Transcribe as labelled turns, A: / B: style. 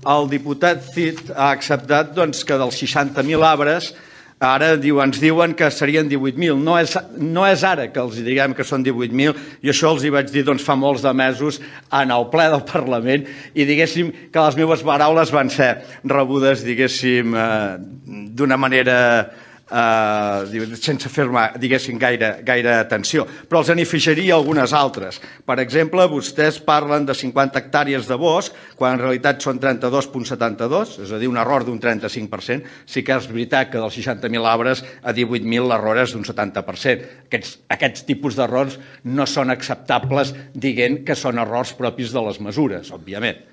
A: El diputat Cid ha acceptat que dels 60.000 arbres ara ens diuen que serien 18.000. No és ara que els diguem que són 18.000, i això els hi vaig dir fa molts de mesos en el ple del Parlament, i diguéssim que les meves paraules van ser rebudes, diguéssim, d'una manera sense fer-me, diguéssim, gaire atenció. Però els n'afegiria algunes altres. Per exemple, vostès parlen de 50 hectàrees de bosc, quan en realitat són 32,72, és a dir, un error d'un 35%. Sí que és veritat que dels 60.000 arbres a 18.000 l'error és d'un 70%. Aquests tipus d'errors no són acceptables dient que són errors propis de les mesures, òbviament.